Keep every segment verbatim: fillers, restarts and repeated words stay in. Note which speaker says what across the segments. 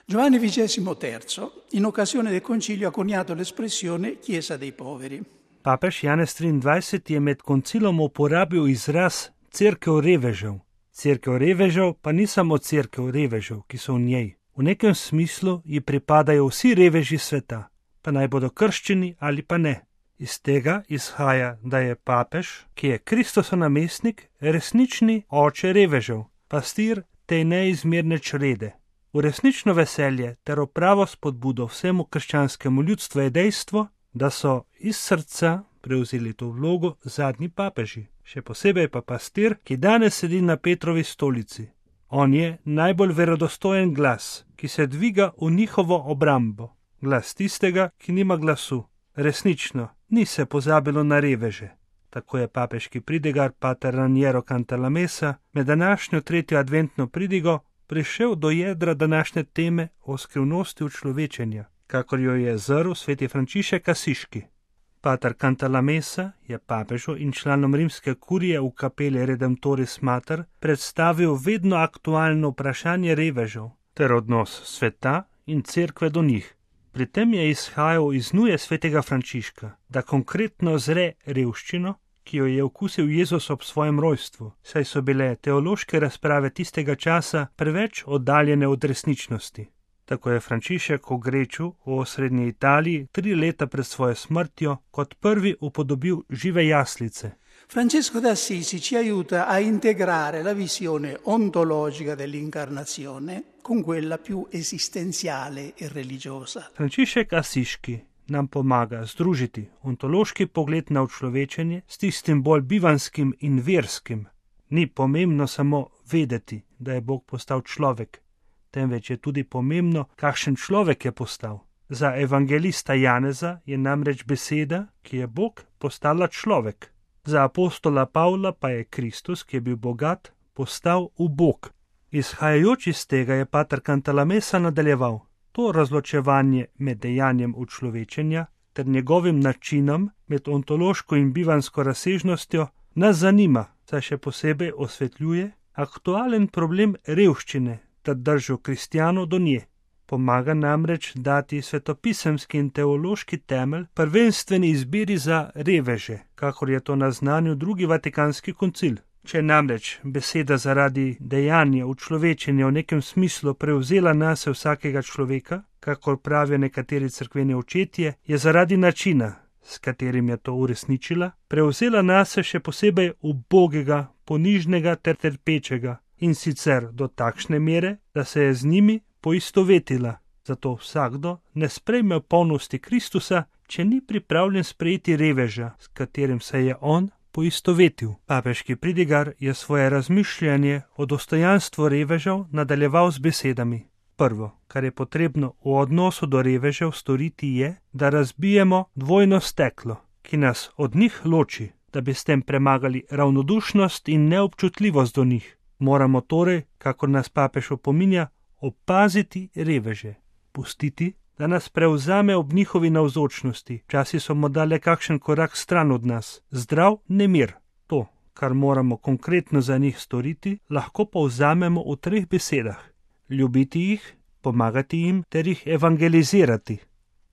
Speaker 1: Giovanni vigesimo terzo, in occasione del concilio, ha coniato l'espressione Chiesa dei poveri.
Speaker 2: Papež Janez triindvajseti je med koncilom uporabil izraz cerkev revežev. Cerkev revežev pa ni samo cerkev revežev, ki so v njej. V nekem smislu ji pripadajo vsi reveži sveta, pa naj bodo krščeni ali pa ne. Iz tega izhaja, da je papež, ki je Kristosov namestnik, resnični oče revežev, pastir te neizmerne črede. V resnično veselje ter v pravo spodbudo vsemu krščanskemu ljudstvu je dejstvo, da so iz srca prevzeli to vlogo zadnji papeži, še posebej pa pastir, ki danes sedi na Petrovi stolici. On je najbolj verodostojen glas, ki se dviga v njihovo obrambo, glas tistega, ki nima glasu. Resnično, ni se pozabilo na reveže. Tako je papeški pridigar pater Raniero Cantalamessa med današnjo tretjo adventno pridigo prišel do jedra današnje teme o skrivnosti učlovečenja, kakor jo je zrl sveti Frančišek Asiški. Pater Cantalamessa je papežu in članom rimske kurije v kapeli Redemptoris Mater predstavil vedno aktualno vprašanje revežev ter odnos sveta in cerkve do njih. Pri tem je izhajal iz nuje svetega Frančiška, da konkretno zre revščino, ki jo je okusil Jezus ob svojem rojstvu, saj so bile teološke razprave tistega časa preveč oddaljene od resničnosti. Tako je Frančišek v Greču v osrednji Italiji tri leta pred svojo smrtjo kot prvi upodobil žive jaslice.
Speaker 1: Francesco d'Assisi ci aiuta a integrare la visione ontologica dell'incarnazione con quella più esistenziale e religiosa.
Speaker 2: Frančišek Asiški nam pomaga združiti ontološki pogled na učlovečenje s tistim bolj bivanskim in verskim. Ni pomembno samo vedeti, da je Bog postal človek, temveč je tudi pomembno, kakšen človek je postal. Za evangelista Janeza je namreč beseda, ki je Bog, postala človek. Za apostola Pavla pa je Kristus, ki je bil bogat, postal ubog. Izhajajoč iz tega je pater Cantalamessa nadaljeval. To razločevanje med dejanjem učlovečenja ter njegovim načinom med ontološko in bivansko razsežnostjo nas zanima, saj še posebej osvetljuje aktualen problem revščine ter držo kristjanov do nje. Pomaga namreč dati svetopisemski in teološki temelj prvenstveni izbiri za reveže, kakor je to naznanil drugi vatikanski koncil. Če namreč beseda zaradi dejanja učlovečenja v nekem smislu prevzela nase vsakega človeka, kakor pravijo nekateri cerkveni očetje, je zaradi načina, s katerim je to uresničila, prevzela nase še posebej ubogega, ponižnega ter trpečega, in sicer do takšne mere, da se je z njimi poistovetila. Zato vsakdo ne sprejme v polnosti Kristusa, če ni pripravljen sprejeti reveža, s katerim se je on poistovetil. Papeški pridigar je svoje razmišljanje o dostojanstvu revežev nadaljeval z besedami. Prvo, kar je potrebno v odnosu do revežev storiti, je, da razbijemo dvojno steklo, ki nas od njih loči, da bi s tem premagali ravnodušnost in neobčutljivost do njih. Moramo torej, kakor nas papež opominja, opaziti reveže, pustiti, da nas prevzame ob njihovi navzočnosti, včasih so morda le kakšen korak stran od nas, zdrav nemir. To, kar moramo konkretno za njih storiti, lahko povzamemo v treh besedah. Ljubiti jih, pomagati jim ter jih evangelizirati.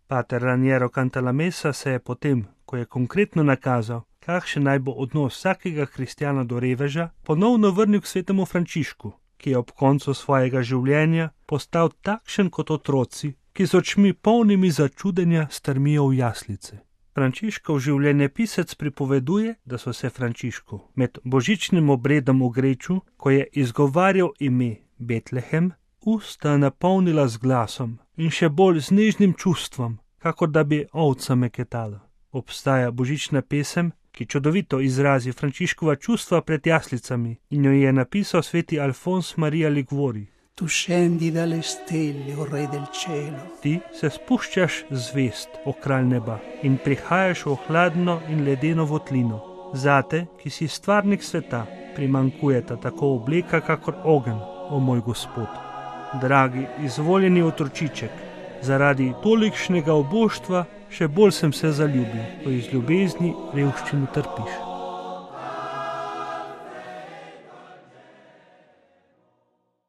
Speaker 2: Pater Raniero Cantalamessa se je potem, ko je konkretno nakazal, kakšen naj bo odnos vsakega kristjana do reveža, ponovno vrnil k svetemu Frančišku, ki je ob koncu svojega življenja postal takšen kot otroci, ki z očmi polnimi začudenja strmijo v jaslice. Frančiškov življenjepisec pripoveduje, da so se Frančišku med božičnim obredom v Greču, ko je izgovarjal ime Betlehem, usta napolnila z glasom in še bolj z nežnim čustvom, kakor da bi ovca meketala. Obstaja božična pesem, ki čudovito izrazi Frančiškova čustva pred jaslicami in jo je napisal sveti Alfons Maria Liguori.
Speaker 1: Tu scendi dalle stelle, o re del cielo.
Speaker 2: Ti se spuščaš zvest, o kralj neba, in prihajaš v hladno in ledeno votlino. Zate, ki si stvarnik sveta, primankujeta tako obleka, kakor ogenj, o moj Gospod. Dragi, izvoljeni otročiček, zaradi tolikšnega oboštva še bolj sem se zaljubil, ko iz ljubezni revščino trpiš.